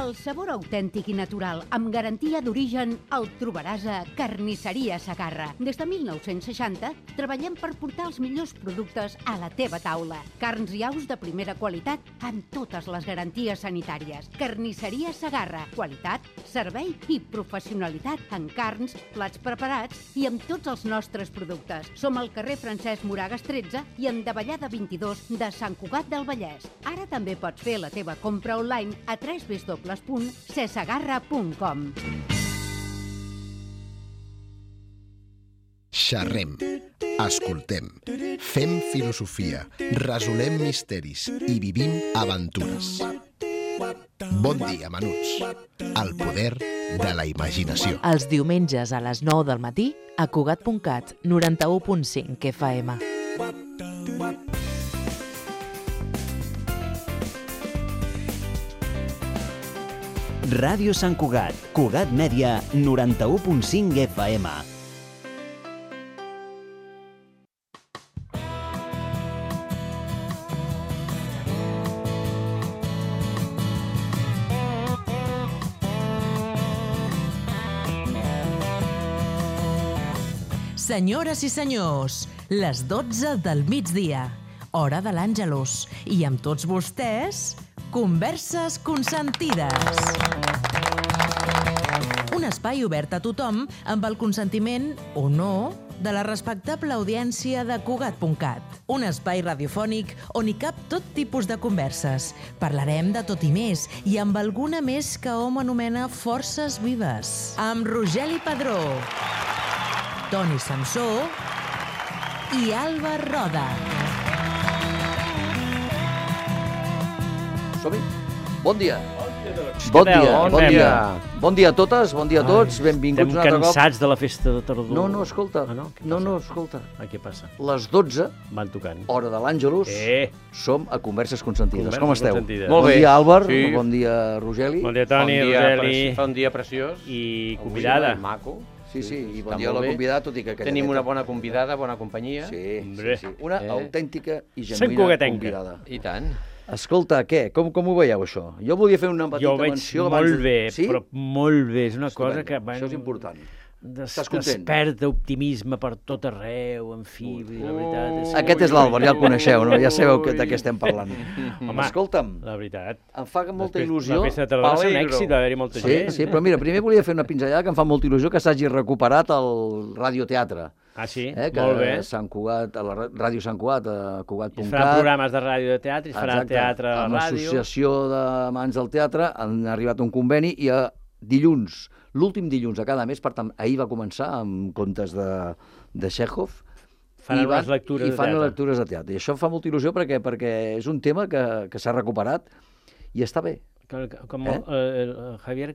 El sabor autèntic i natural, amb garantia d'origen, el trobaràs a Carnisseria Segarra. Des de 1960 treballem per portar els millors productes a la teva taula. Carns i aus de primera qualitat amb totes les garanties sanitàries. Carnisseria Segarra. Qualitat, servei i professionalitat en carns, plats preparats i amb tots els nostres productes. Som al carrer Francesc Moragas 13 i en Davallada 22 de Sant Cugat del Vallès. Ara també pots fer la teva compra online a www.cesegarra.com. Xerrem, escoltem, fem filosofia, resolem misteris i vivim aventures. Bon dia, menuts. El poder de la imaginació. Els diumenges a les 9 del matí a Cugat.cat, 91.5 FM. Ràdio Sant Cugat, Cugat Mèdia, 91.5 FM. Senyores i senyors, les 12 del migdia, hora de l'Àngelus, i amb tots vostès, Converses consentides. Un espai obert a tothom amb el consentiment, o no, de la respectable audiència de Cugat.cat. Un espai radiofònic on hi cap tot tipus de converses. Parlarem de tot i més, i amb alguna més que hom anomena forces vives. Amb Rogeli Padró, Toni Samsó i Alba Roda. Som-hi. Bon dia. Bon dia. Bon dia a totes, bon dia a tots, benvinguts un altre cop. Estem cansats de la festa de tardor. No, escolta. No, escolta. Què passa? Les 12, van tocant. Hora de l'Àngelus, som a Converses Consentides. Com esteu? Molt bé. Bon dia, Àlvar. Bon dia, Rogeli. Bon dia, Toni, Rogeli. Fa un dia preciós. I convidada. Maco. Sí, i bon dia a la convidada, tot i que... Tenim una bona convidada, bona companyia. Sí. Una autèntica i genuïna convidada. I tant. Escolta, què? Com ho veieu, això? Jo volia fer una petita menció... Jo ho veig molt bé, però molt bé. És una cosa que... Això és important. Desperta optimisme per tot arreu, en fi, la veritat... Aquest és l'Àlvar, ja el coneixeu, no? Ja sabeu de què estem parlant. Home, escolta'm, la veritat... em fa molta il·lusió... La festa de tardor va ser un èxit, va haver-hi molta gent. Sí, però mira, primer volia fer una pinzellada que em fa molta il·lusió que s'hagi recuperat el radioteatre. Ah, sí? Molt bé. Sant Cugat, a la Ràdio Sant Cugat, a Cugat.cat. Es faran programes de ràdio de teatre, es farà teatre a la ràdio. Amb l'Associació d'Amants del Teatre han arribat a un conveni i a dilluns, l'últim dilluns de cada mes, per tant, ahir va començar amb contes de Chekhov. Fan unes lectures de teatre. I fan lectures de teatre. I això em fa molta il·lusió perquè és un tema que s'ha recuperat i està bé. Com el Javier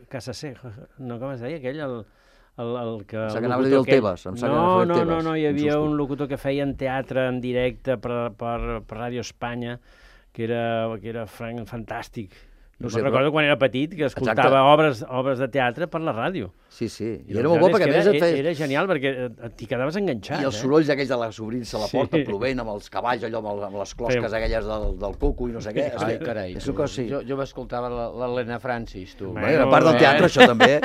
Casasejo, no, com es deia aquell, el que... Em sembla que anava a dir el Tebas. No, hi havia un locutor que feia teatre en directe per Ràdio Espanya, que era fantàstic. No sé, recordo quan era petit que escoltava obres de teatre per la ràdio. Sí, i era molt bo perquè a més et feia... Era genial perquè t'hi quedaves enganxat. I els sorolls aquells de les obrint-se a la porta plovent amb els cavalls, allò amb les closques aquelles del cuco i no sé què. Ai, carai, jo m'escoltava l'Helena Francis, tu. Era part del teatre, això també.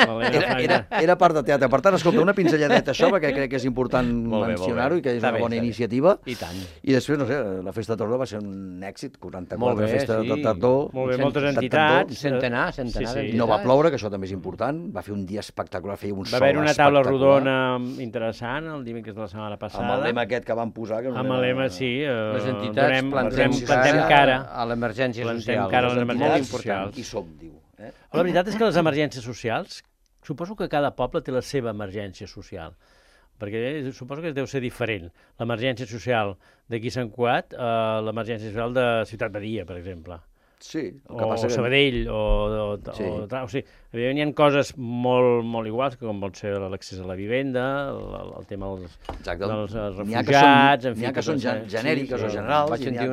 Era part del teatre. Per tant, escolta, una pinzelladeta això, perquè crec que és important mencionar-ho i que és una bona iniciativa. I tant. I després, no sé, la festa de tardor va ser un èxit, 44 festes de tardor. Molt bé, moltes entitats. Centenar d'entitats. No va ploure, que això també és important. Va fer un dia espectacular, feia un sol espectacular. Va haver una taula rodona interessant el dimecres de la setmana passada. Amb el lema aquest que van posar. Amb el lema, sí. Les entitats plantem cara a l'emergència social. Plantem cara a les emergències socials. I som, diu. La veritat és que les emergències socials, suposo que cada poble té la seva emergència social, perquè suposo que deu ser diferent. L'emergència social d'aquí a Sant Cugat, l'emergència social de Ciutat Badia, per exemple. Sí, o Sabadell, o sigui, hi ha coses molt iguals, com pot ser l'accés a la vivenda, el tema dels refugiats... N'hi ha que són genèriques o generals. Vaig sentir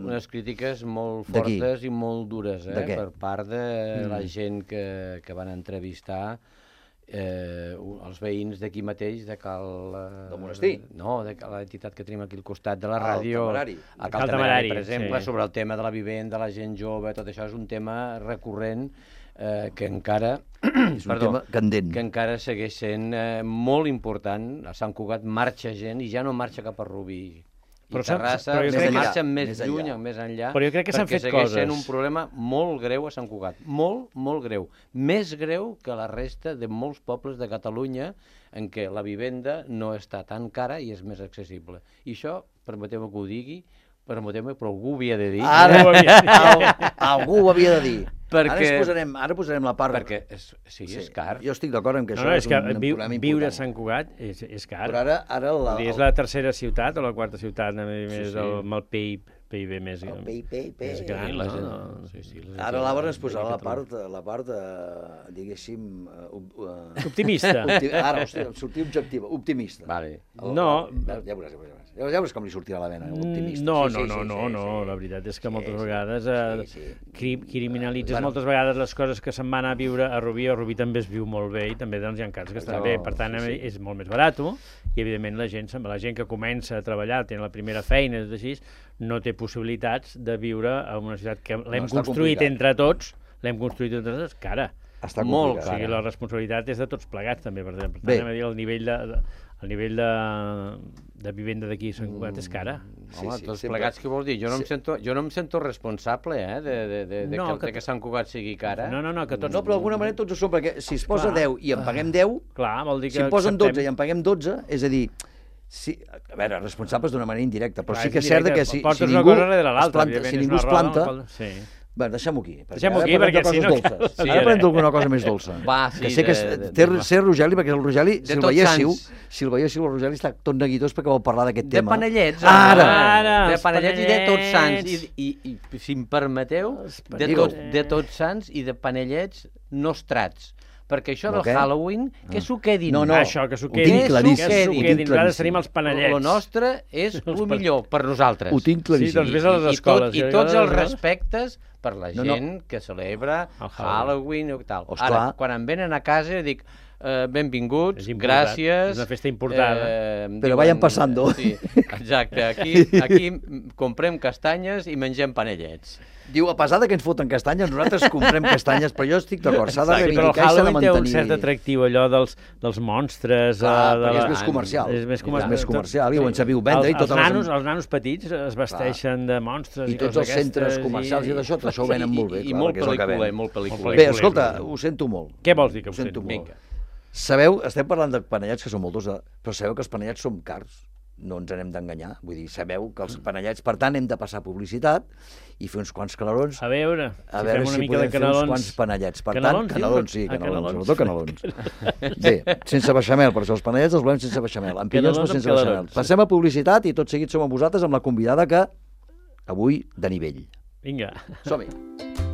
unes crítiques molt fortes i molt dures per part de la gent que van entrevistar, els veïns d'aquí mateix, de Cal... Del monestir? No, de l'entitat que tenim aquí al costat de la ràdio. El Cal Temerari, per exemple, sobre el tema de la vivenda, la gent jove, tot això és un tema recurrent que encara... És un tema candent. Que encara segueix sent molt important. A Sant Cugat marxa gent i ja no marxa cap a Rubí. I Terrassa marxa més lluny, més enllà, però jo crec que s'han fet perquè segueix coses. sent un problema molt greu a Sant Cugat. Molt, molt greu. Més greu que la resta de molts pobles de Catalunya en què la vivenda no està tan cara i és més accessible. I això, permeteu-me que ho digui, permeteu-me, però algú ho havia de dir. Algú ho havia de dir. Perquè... Ara posarem la part... Perquè és car. Jo estic d'acord en que això és un problema important. Viure a Sant Cugat és car. Però ara és la tercera ciutat o la quarta ciutat amb el PIB més gran. Ara l'Àvora ens posarà la part diguéssim... Optimista. Ara, sortir objectiva, optimista. No. Ja veuràs com li sortirà la vena, optimista. No, la veritat és que moltes vegades criminalitzes moltes vegades les coses que se'n van a viure a Rubí. A Rubí també es viu molt bé i també hi ha casos que estan bé. Per tant, és molt més barat i, evidentment, la gent que comença a treballar, té la primera feina, és així, no té possibilitats de viure en una ciutat que l'hem construït entre tots, cara. Està molt cara. O sigui, la responsabilitat és de tots plegats, també. Per tant, el nivell de vivenda d'aquí a Sant Cugat és cara. Home, tots plegats, què vols dir? Jo no em sento responsable de que Sant Cugat sigui cara. No, que tots... No, però d'alguna manera tots ho som, perquè si es posa 10 i en paguem 10, si en posen 12 i en paguem 12, és a dir... A veure, responsables d'una manera indirecta, però sí que és cert que si ningú es planta... Bé, deixem-ho aquí. Deixem-ho aquí, perquè si no... Ara parlem d'alguna cosa més dolça. Que sé que té Rogeli, perquè el Rogeli, si el veiéssiu, el Rogeli està tot neguitós perquè vol parlar d'aquest tema. De panellets. De panellets i de Tots Sants. I si em permeteu, de Tots Sants i de panellets nostrats. Perquè això del Halloween, que s'ho quedin. No, això, que s'ho quedin. Nosaltres tenim els panellets. El nostre és el millor per nosaltres. Ho tinc claríssim. Sí, doncs vés a les escoles. I tots els respectes per la gent que celebra Halloween i tal. Ara, quan em venen a casa, dic... benvinguts, gràcies. És una festa important. Però vayan passando. Sí, exacte. Aquí comprem castanyes i mengem panellets. Diu, a pesar que ens foten castanyes, nosaltres comprem castanyes, però jo estic d'acord, s'ha de reivindicar i s'ha de mantenir. Però el Halloween té un cert atractiu, allò dels monstres... Clar, perquè és més comercial. És més comercial, i ho en sabiu vendre. Els nanos petits es vesteixen de monstres. I tots els centres comercials i d'això, això ho venen molt bé. I molt pel·lícula. Bé, escolta, ho sento molt. Què vols dir que ho sento molt? Sabeu, estem parlant de panellets que són molts, però sabeu que els panellets són cars. No ens n'hem d'enganyar. Vull dir, sabeu que els panellets, per tant, hem de passar publicitat i fer uns quants calarons. A veure si podem fer uns quants panellets. Per tant, canelons, sí, canelons, sobretot canelons. Bé, sense beixamel, per això els panellets els volem sense beixamel. Amb pinyons, però sense beixamel. Passem a publicitat i tot seguit som amb vosaltres amb la convidada que avui de nivell. Vinga. Som-hi.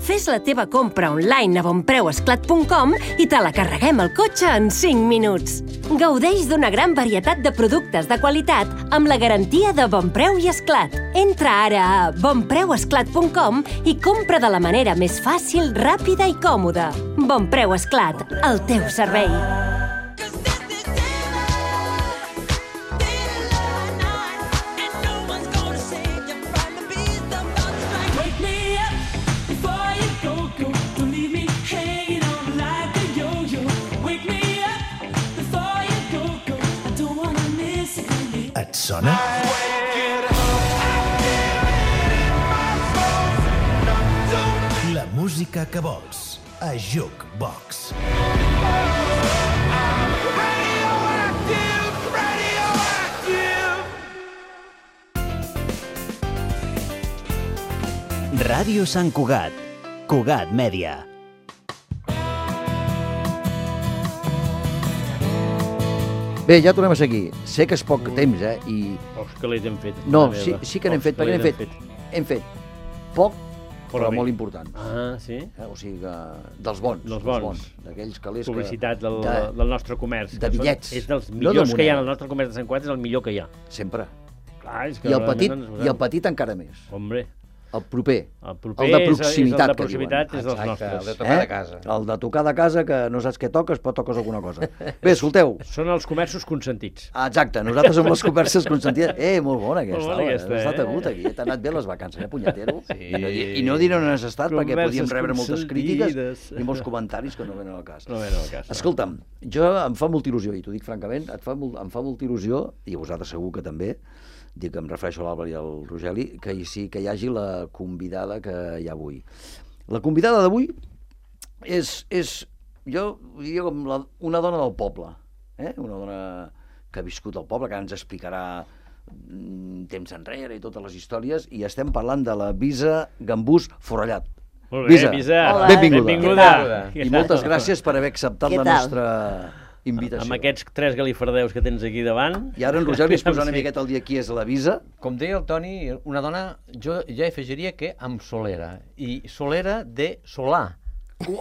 Fes la teva compra online a bonpreuesclat.com i te la carreguem al cotxe en 5 minuts. Gaudeix d'una gran varietat de productes de qualitat amb la garantia de Bonpreu i Esclat. Entra ara a bonpreuesclat.com i compra de la manera més fàcil, ràpida i còmoda. Bonpreu Esclat, al teu servei. Et sona? La música que vols a Jukebox. Ràdio Sant Cugat. Cugat Mèdia. Bé, ja tornem a seguir. Sé que és poc temps, i... Pocs calés hem fet. No, sí que n'hem fet, perquè hem fet poc, però molt important. Ah, sí? O sigui, dels bons. Dels bons. D'aquells calés que... Publicitat del nostre comerç. De bitllets. És dels millors que hi ha al nostre comerç de Sant Cugat, és el millor que hi ha. Sempre. Clar, és que I el petit encara més. Hombre. El proper. El proper el de proximitat, és el de proximitat, és dels nostres. El de tocar de casa. El de tocar de casa, que no saps què toques, però toques alguna cosa. Bé, escolteu. Són els comerços consentits. Exacte, nosaltres som les converses consentides. Molt bona aquesta. Molt bona aquesta, Has estat agut aquí, t'ha anat bé les vacances, punyetero? Sí. I no diré on has estat, perquè podíem rebre moltes crítiques i molts comentaris que no venen al cas. No venen al cas. Escolta'm, jo em fa molta il·lusió, i t'ho dic francament, em fa molta il·lusió, i a vosaltres segur que també, dic que em refereixo a l'Àlvar i al Rogeli, que hi hagi la convidada que hi ha avui. La convidada d'avui és jo diria com una dona del poble, una dona que ha viscut al poble, que ens explicarà temps enrere i totes les històries, i estem parlant de la Bisa Gambús Forrellat. Molt bé, Bisa. Hola. Benvinguda. I moltes gràcies per haver acceptat la nostra invitació. Amb aquests 3 galifardeus que tens aquí davant. I ara en Roger li es posa una miqueta al dia qui és la Bisa. Com deia el Toni, una dona, jo ja afegiria que amb solera, i solera de solar. Avui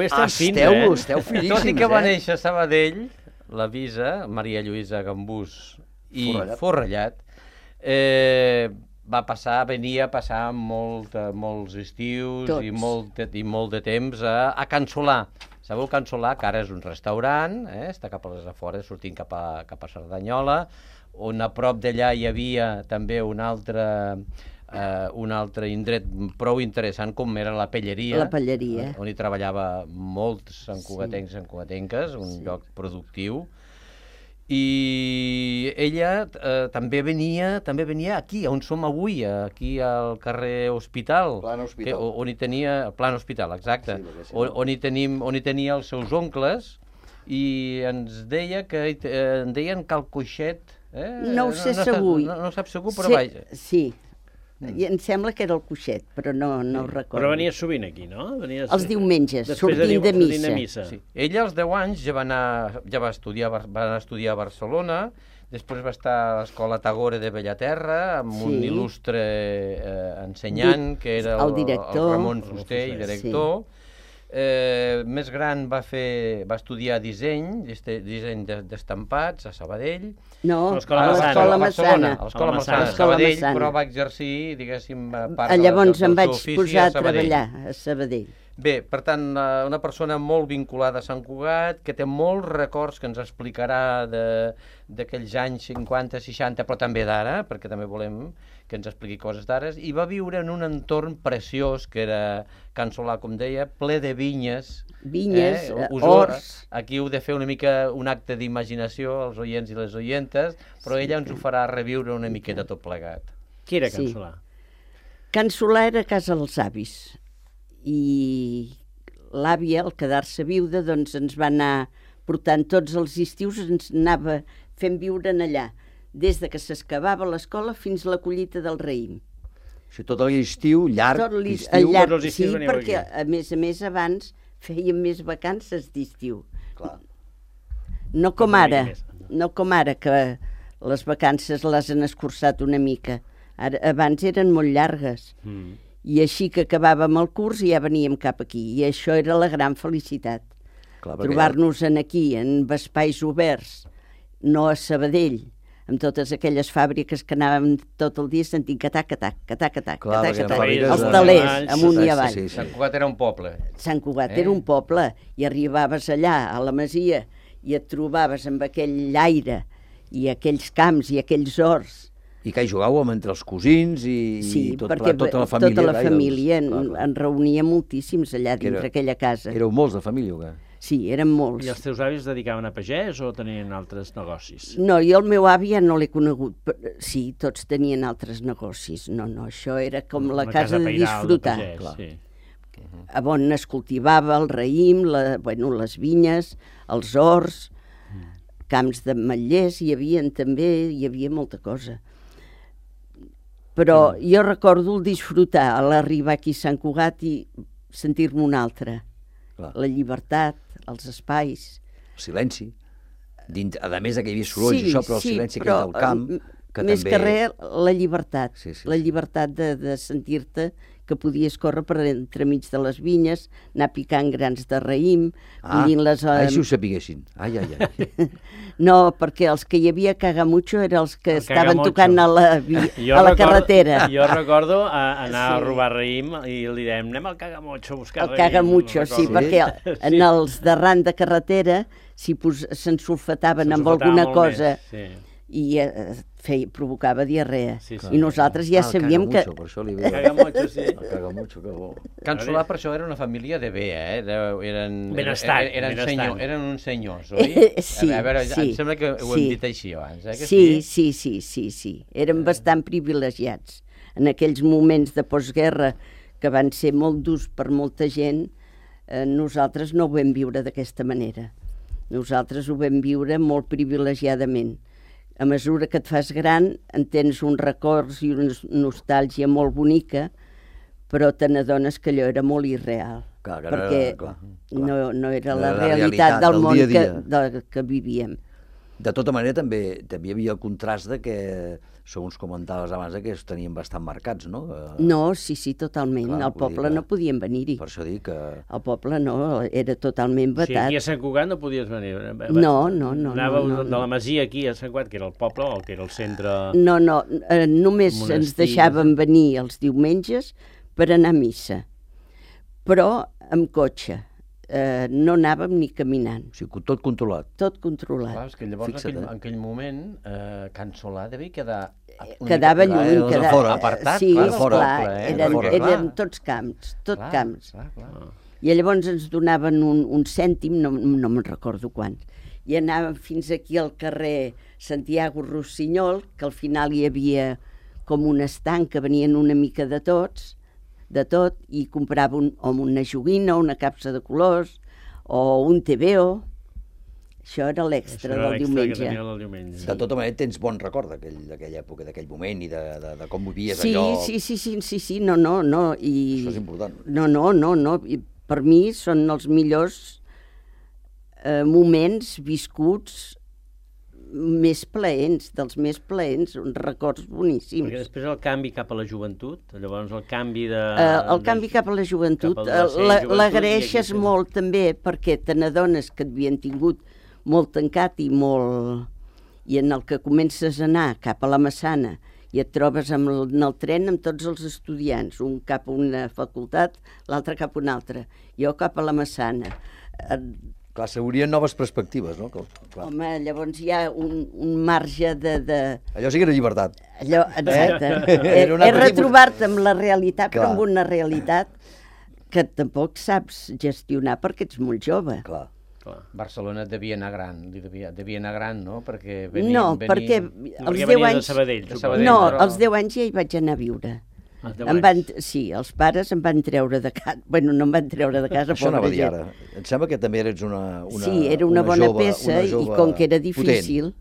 estem fins, Esteu finíssims, Tot i que va néixer a Sabadell, la Bisa, Maria Lluïsa Gambús i Forrellat, venia a passar molts estius i molt de temps a Can Solà. Sabeu Can Solà, que ara és un restaurant, està cap a les afores, sortint cap a Cerdanyola, on a prop d'allà hi havia també un altre indret prou interessant com era la Pelleria. La Pelleria. On hi treballava molts santcugatencs i santcugatenques, un lloc productiu. I ella també venia aquí, on som avui, aquí al carrer Hospital. Plan Hospital. On hi tenia... Plan Hospital, exacte. On hi tenia els seus oncles, i ens deia que en deien Calcoixet. No ho sé segur. No ho sap segur, però vaja. Sí. I em sembla que era el Coixet, però no ho recordo. Però venies sovint aquí, no? Els diumenges, sortint de missa. Sí. Ella als 10 anys ja va estudiar a Barcelona, després va estar a l'Escola Tagore de Bellaterra, amb un il·lustre ensenyant, que era el Ramon Fuster i director. Més gran va estudiar disseny d'estampats a Sabadell. No, a l'Escola Massana. A l'Escola Massana, a Sabadell, però va exercir, diguéssim, part llavors em vaig posar a treballar a Sabadell. Bé, per tant, una persona molt vinculada a Sant Cugat, que té molts records que ens explicarà d'aquells anys 50, 60, però també d'ara, perquè també volem que ens expliqui coses d'ara, i va viure en un entorn preciós, que era Can Solà, com deia, ple de vinyes. Vinyes, horts. Aquí heu de fer una mica un acte d'imaginació, els oients i les oientes, però ella ens ho farà reviure una miqueta tot plegat. Qui era Can Solà? Can Solà era a casa dels avis, i l'àvia, al quedar-se viuda, doncs ens va anar portant tots els estius, ens anava fent viure allà, des de que s'acabava l'escola fins a la collita del raïm. Això tot l'estiu, llarg estiu. Sí, perquè a més abans fèiem més vacances d'estiu. No com ara, que les vacances les han escurçat una mica. Abans eren molt llargues. I així que acabàvem el curs ja veníem cap aquí. I això era la gran felicitat. Trobar-nos aquí, en espais oberts, no a Sabadell, amb totes aquelles fàbriques que anàvem tot el dia sentint catac-catac, catac-catac, els talers, amunt i avall. Sant Cugat era un poble. Sant Cugat era un poble, i arribaves allà, a la masia, i et trobaves amb aquell aire, i aquells camps, i aquells horts. I que hi jugàvem entre els cosins i tota la família. Tota la família, en reunia moltíssims allà dintre aquella casa. Éreu molts de família, o què? Sí, eren molts. I els teus avis es dedicaven a pagès o tenien altres negocis? No, jo el meu avi ja no l'he conegut. Sí, tots tenien altres negocis. No, això era com la casa de disfrutar. A on es cultivava el raïm, les vinyes, els horts, camps d'ametllers, hi havia molta cosa. Però jo recordo el disfrutar a l'arribar aquí a Sant Cugat i sentir-me un altre. La llibertat, els espais. El silenci. A més que hi havia sorolls i això, però el silenci que hi ha al camp. Més que res, la llibertat. La llibertat de sentir-te que podies córrer per entremig de les vinyes, anar picant grans de raïm, collint-les... Si ho sapiguessin. Ai. No, perquè els que hi havia Cagamucho eren els que estaven tocant a la carretera. Jo recordo anar a robar raïm i li dèiem, anem al Cagamucho a buscar raïm. El Cagamucho, sí, perquè en els d'arran de carretera s'ensulfataven amb alguna cosa i provocava diarrea. I nosaltres ja sabíem que... Cagamucho, sí. Cagamucho, que bo. Can Solà, per això, era una família de bé, Benestant. Eren uns senyors, oi? Sí. A veure, em sembla que ho hem dit així abans, eh? Sí. Érem bastant privilegiats. En aquells moments de postguerra, que van ser molt durs per molta gent, nosaltres no ho vam viure d'aquesta manera. Nosaltres ho vam viure molt privilegiadament. A mesura que et fas gran, en tens uns records i una nostàlgia molt bonica, però te n'adones que allò era molt irreal. Perquè no era la realitat del món que vivíem. De tota manera, també hi havia el contrast de que, segons comentaves abans, que es tenien bastant marcats, no? No, sí, totalment. Al poble no podien venir-hi. Per això dic que... Al poble no, era totalment vetat. Sí, aquí a Sant Cugat no podies venir. No. Anàveu de la Masia aquí a Sant Cugat, que era el poble o que era el centre... No, només ens deixaven venir els diumenges per anar a missa. Però amb cotxe. No anàvem ni caminant. O sigui, tot controlat. Tot controlat. Clar, és que llavors en aquell moment Can Solà devia quedar... Quedava lluny, apartat. Sí, clar, eren tots camps, camps. I llavors ens donaven un cèntim, no me'n recordo quants, i anàvem fins aquí al carrer Santiago Rossinyol, que al final hi havia com un estanc que venien una mica de tot, i comprava una joguina, una capsa de colors, o un TVO. Això era l'extra del diumenge. De tota manera, tens bon record d'aquella època, d'aquell moment i de com vivies allò. Sí, no. Això és important. No. Per mi són els millors moments viscuts dels més plaents, uns records boníssims. Perquè després el canvi cap a la joventut, llavors el canvi de... El canvi cap a la joventut l'agraeixes molt també, perquè te n'adones que et havien tingut molt tancat i en el que comences a anar cap a la Massana i et trobes en el tren amb tots els estudiants, un cap a una facultat, l'altre cap a una altra, jo cap a la Massana. Clar, s'haurien noves perspectives, no? Home, llavors hi ha un marge de... Allò sí que era llibertat. Exacte. És retrobar-te amb la realitat, però amb una realitat que tampoc saps gestionar perquè ets molt jove. Clar. Barcelona devia anar gran, no? Perquè perquè als 10 anys... No, als 10 anys ja hi vaig anar a viure. Sí, els pares em van treure de casa. Bueno, no em van treure de casa, això anava a dir ara. Em sembla que també eres una sí, era una bona peça i com que era difícil,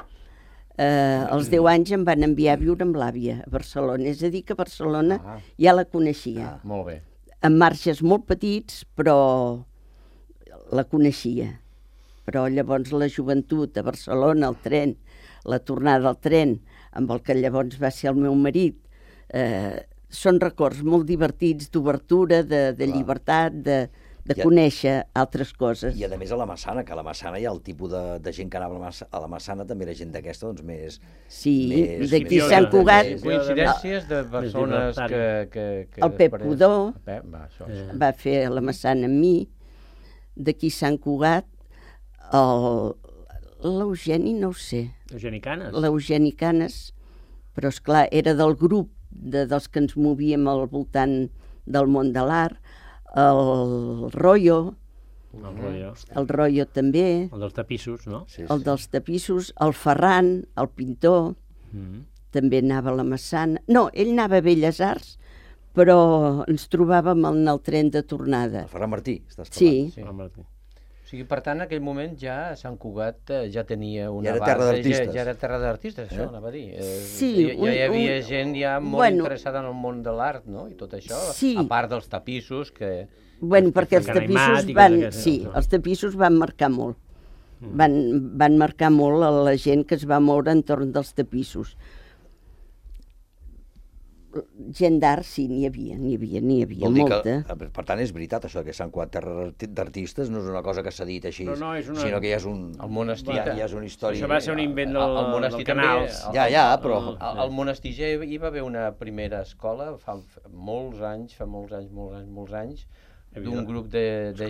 als 10 anys em van enviar a viure amb l'àvia a Barcelona. És a dir, que a Barcelona ja la coneixia. Molt bé. Amb marges molt petits, però la coneixia. Però llavors la joventut a Barcelona, el tren, la tornada al tren, amb el que llavors va ser el meu marit, són records molt divertits, d'obertura, de llibertat, de conèixer altres coses. I a més a la Massana, que a la Massana hi ha el tipus de gent que anava a la Massana, també era gent d'aquesta, doncs més... Sí, d'aquí Sant Cugat... Coincidències de persones que... El Pep Codó va fer la Massana amb mi, d'aquí Sant Cugat, l'Eugeni, no ho sé. L'Eugeni Canes, però esclar, era del grup dels que ens movíem al voltant del món de l'art, el Royo, el Royo també, el dels tapissos, no? El dels tapissos, el Ferran, el pintor, també anava a la Massana. No, ell anava a Belles Arts, però ens trobàvem en el tren de tornada. El Ferran Martí, estàs parlant? Sí. Ferran Martí. O sigui, per tant, en aquell moment ja Sant Cugat ja tenia una base... Ja era terra d'artistes. Ja era terra d'artistes, això anava a dir. Sí. Ja hi havia gent ja molt interessada en el món de l'art, no? I tot això, a part dels tapissos que... Bueno, perquè els tapissos van... Sí, els tapissos van marcar molt. Van marcar molt a la gent que es va moure entorn dels tapissos. gent d'art, sí, n'hi havia molta. Per tant, és veritat, això que Sant Cugat terra d'artistes no és una cosa que s'ha dit així, sinó que ja és un... El monestir... Ja és una història... Això va ser un invent del Canals. Però... Al monestir ja hi va haver una primera escola fa molts anys, d'un grup de gent,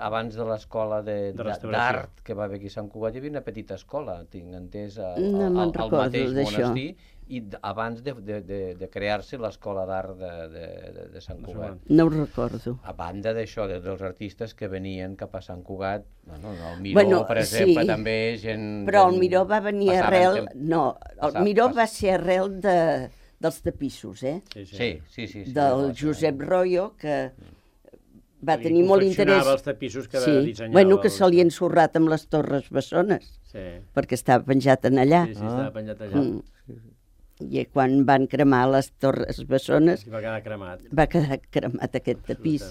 abans de l'escola d'art que va haver aquí a Sant Cugat, hi havia una petita escola, tinc entès, al mateix monestir, i abans de crear-se l'escola d'art de Sant Cugat. No ho recordo. A banda d'això, dels artistes que venien cap a Sant Cugat, el Miró, per exemple, també gent... Però el Miró va venir arrel... No, el Miró va ser arrel dels tapissos, Sí. Del Josep Royo, que va tenir molt interès... Confeccionava els tapissos que dissenyava. Bueno, que se li ha ensorrat amb les Torres Bessones, perquè estava penjat en allà. Sí, estava penjat allà. I quan van cremar les Torres Bessones... Va quedar cremat. Va quedar cremat aquest tapís.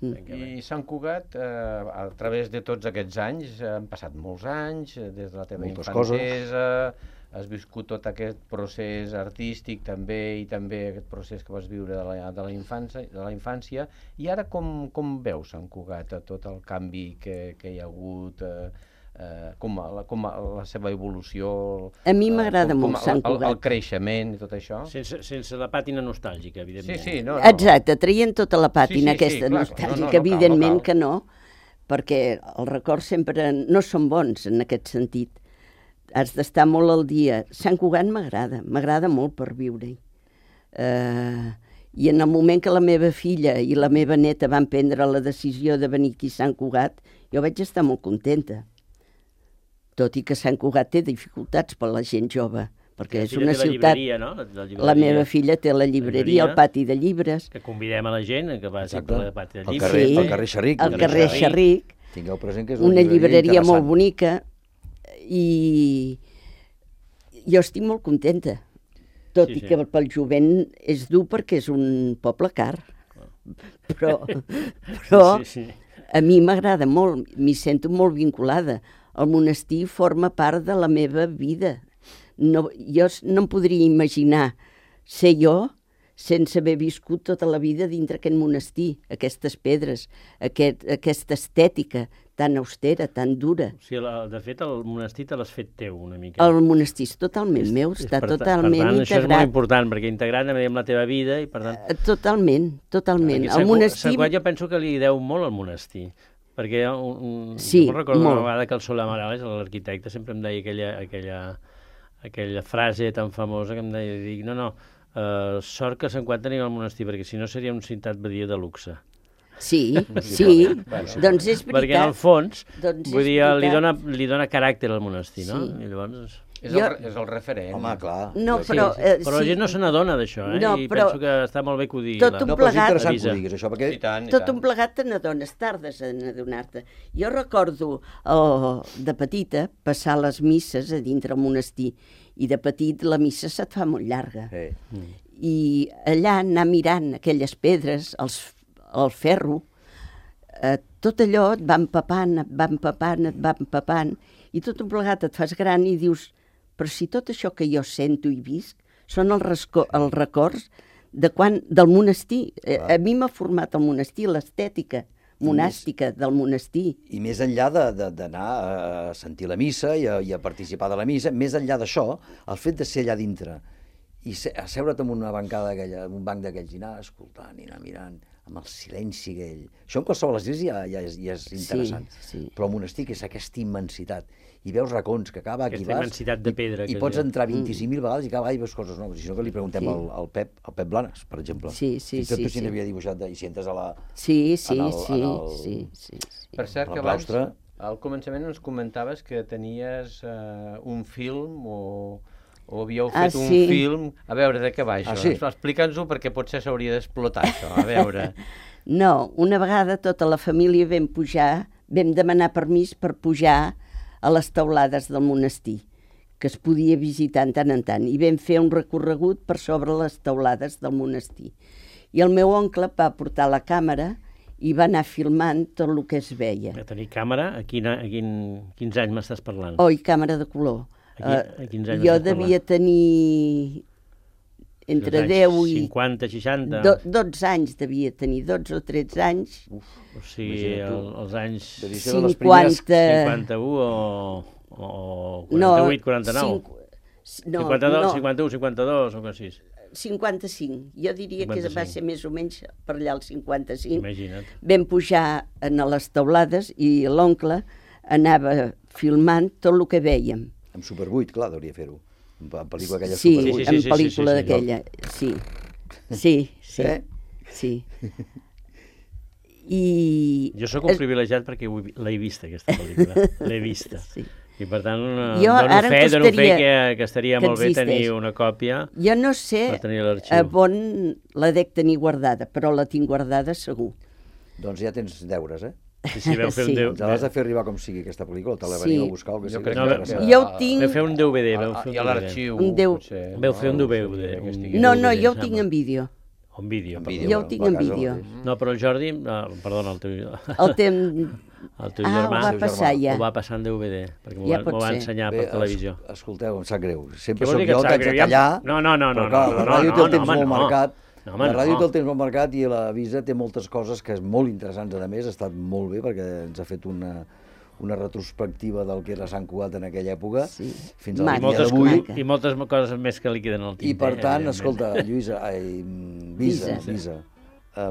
I Sant Cugat, a través de tots aquests anys, han passat molts anys, des de la teva infantesa, has viscut tot aquest procés artístic també, i també aquest procés que vas viure de la infància, i ara com veus Sant Cugat, tot el canvi que hi ha hagut, com la seva evolució... A mi m'agrada molt Sant Cugat. El creixement i tot això. Sense la pàtina nostàlgica, evidentment. Sí. Exacte, traient tota la pàtina aquesta nostàlgica, evidentment que no, perquè els records sempre no són bons en aquest sentit. Has d'estar molt al dia. Sant Cugat m'agrada molt per viure-hi. I en el moment que la meva filla i la meva neta van prendre la decisió de venir aquí a Sant Cugat, jo vaig estar molt contenta. Tot i que Sant Cugat té dificultats per la gent jove, perquè és una ciutat... La meva filla té la llibreria, el pati de llibres. Que convidem a la gent que vagi al pati de llibres. Sí, al carrer Xerric. Al carrer Xerric. Tingueu present que és una llibreria molt bonica. I jo estic molt contenta, tot i que pel jovent és dur perquè és un poble car, però a mi m'agrada molt, m'hi sento molt vinculada. El monestir forma part de la meva vida. Jo no em podria imaginar ser jo sense haver viscut tota la vida dintre aquest monestir, aquestes pedres, aquesta estètica tan austera, tan dura. O sigui, de fet, el monestir te l'has fet teu una mica. El monestir és totalment meu, està totalment integrat. Això és molt important, perquè integrat amb la teva vida i per tant... Totalment. El monestir... Sant Cugat jo penso que li deu molt al monestir, perquè jo recordo una vegada que el Solà Morales, l'arquitecte, sempre em deia aquella frase tan famosa que em deia, sort que a Sant Cugat tenim el monestir, perquè si no seria un ciutat badia de luxe. Sí, doncs és veritat. Perquè en el fons, vull dir, li dona caràcter al monestir, no? I llavors... És el referent. Home, clar. No, però la gent no se n'adona d'això, i penso que està molt bé que ho digui. Tot un plegat... És interessant que ho diguis, això, perquè... Tot un plegat te n'adones, tardes en adonar-te. Jo recordo de petita passar les misses a dintre el monestir, i de petit la missa se't fa molt llarga. I allà anar mirant aquelles pedres, el ferro, tot allò et va empapant, i tot un plegat et fas gran i dius, però si tot això que jo sento i visc són els records del monestir. A mi m'ha format el monestir, l'estètica monàstica del monestir. I més enllà d'anar a sentir la missa i a participar de la missa, més enllà d'això, el fet de ser allà dintre i asseure't en una bancada aquella, en un banc d'aquells, i anar escoltant i anar mirant amb el silenci aquell. Això en qualsevol església ja és interessant. Però el monestir, que és aquesta immensitat, i veus racons que cada aquí vas i pots entrar 25.000 vegades i cada vegada hi veus coses noves. I això que li preguntem al Pep Blanes, per exemple. Sí. Tot si n'havia dibuixat i si entres a la... Sí. Per cert, que abans, al començament ens comentaves que tenies un film o havíeu fet un film... A veure, de què va això? Explica'ns-ho, perquè potser s'hauria d'explotar això, a veure. No, una vegada tota la família vam demanar permís per pujar a les teulades del monestir, que es podia visitar tant en tant, i vam fer un recorregut per sobre les teulades del monestir. I el meu oncle va portar la càmera i va anar filmant tot el que es veia. A tenir càmera? A quins anys m'estàs parlant? Càmera de color. A quins anys jo devia tenir entre 10 i... 50, 60... 12 anys devia tenir, 12 o 13 anys. O sigui, els anys... 51 o 48, 49... No, 51, 52 o així. 55. Jo diria 55. Que va ser més o menys per allà el 55. Imagina't. Vam pujar a les teulades i l'oncle anava filmant tot el que vèiem. Amb Super 8, clar, hauria fer-ho. En pel·lícula aquella sí, Super 8. Sí, en pel·lícula d'aquella, sí. Sí. I... Jo sóc un privilegiat perquè l'he vista, aquesta pel·lícula. L'he vista. Sí. I per tant, dono fe que estaria molt bé tenir una còpia. Jo no sé on la dec tenir guardada, però la tinc guardada segur. Doncs ja tens deures, eh? Sí, vau fer un DVD. Ens l'has de fer arribar com sigui aquesta pel·lícula, te la veniu a buscar. Jo ho tinc... Vau fer un DVD. I a l'arxiu. Vau fer un DVD. No, jo ho tinc en vídeo. En vídeo. Jo ho tinc en vídeo. No, però el Jordi... Perdona, el teu... El teu germà ho va passar ja. Ho va passar en DVD, perquè m'ho va ensenyar per televisió. Escolteu, em sap greu. Sempre soc jo el que haig de tallar. No. La ràdio té el temps molt marcat. La ràdio té el temps molt marcat i la Visa té moltes coses que és molt interessants. A més, ha estat molt bé perquè ens ha fet una retrospectiva del que era Sant Cugat en aquella època, fins al dia d'avui. I moltes coses més que li queden al tinter. I per tant, escolta, Visa,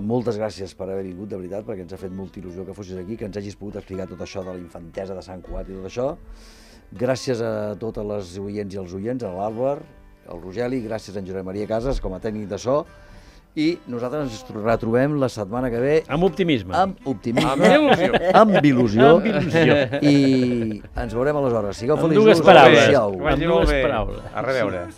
moltes gràcies per haver vingut, de veritat, perquè ens ha fet molta il·lusió que fossis aquí, que ens hagis pogut explicar tot això de la infantesa de Sant Cugat i tot això. Gràcies a totes les oients i els oients, a l'Àlvar, al Rogeli, gràcies a en Josep Maria Casas com a tècnic de so, i nosaltres ens retrobem la setmana que ve... Amb optimisme. Amb il·lusió. I ens veurem aleshores. Sigueu feliços. Amb dues paraules. A reveure.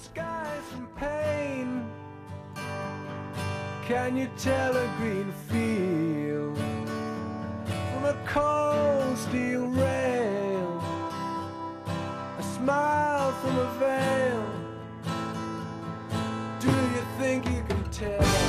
Can you tell a green field from a cold steel rail? A smile from a veil. Do you think you can tell?